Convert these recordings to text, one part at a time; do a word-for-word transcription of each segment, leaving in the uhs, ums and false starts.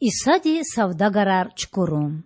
Исади савдагарар чукурун.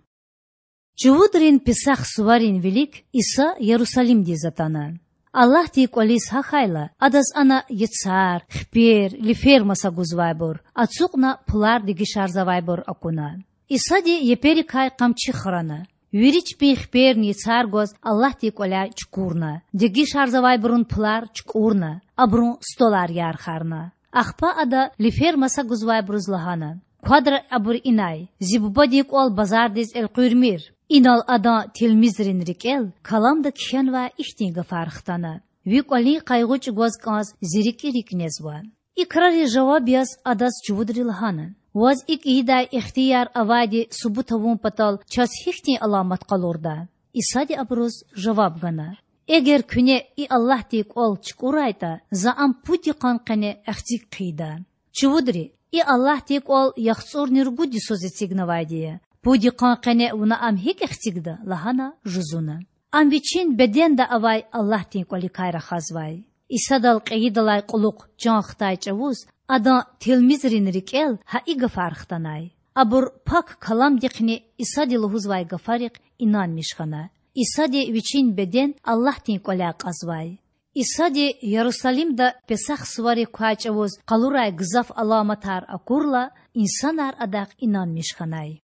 Чувудрин Песах суварин вилик Иса Ярусалимдиз атана. Аллагьдин кІвализ гьахьайла, Адаз ана яцар, хипер, лифер маса гузвайбур, ацукьна пулар дегишарзавайбур акуна. Исади еперикай къамчи храна. Вири чпин хиперни яцар гваз Аллагьдин кІваляй чукурна, дегишарзавайбурун пулар чукІурна, абурун столар ярхарна. Ахпа Ада лифер маса гузвайбуруз лагьана: Квадра абур инай, Зи Бубадин кІвал базардиз элкъуьрмир. Инал Адан тилмизрин рикІел Каламда кхьенвай ихьтин гафар хтана: Ви кІвалин къайгъу чІугваз кІанз Зи рикІи рикІ незва. И крариз жаваб яз Адаз чувудри лагьана: Ваз икІ ийидай ихтияр авайди субут авун патал чаз гьихьтин аламат къалурда? Исади абуруз жаваб гана: Эгер куьне и Аллагьдин кІвал чукІурайтІа, За ам пуд йикъан къене эхциг хъийида. Чувудри: И Аллагьдин кІвал яхцІурни ругуд йисуз эцигнавайди я. Пуд йикъан къене вуна ам гьикІ эхцигда? лагьана жузуна. Ам Вичин беденда авай Аллагьдин кІваликай рахазвай. Исадал кьейидалай кьулухъ чан хтай чІавуз Адан тилмизрин рикІел гьа и гафар хтанай. Абур Пак Каламдихъни Исади лугьузвай гафарихъ инанмиш хьана. Исади Вичин беден Аллагьдин кІваляй кьазвай. Исади Ярусалимда Песах суварик квай чІавуз къалурай гзаф аламатар акурла, инсанар Адахъ инанмиш хьанай.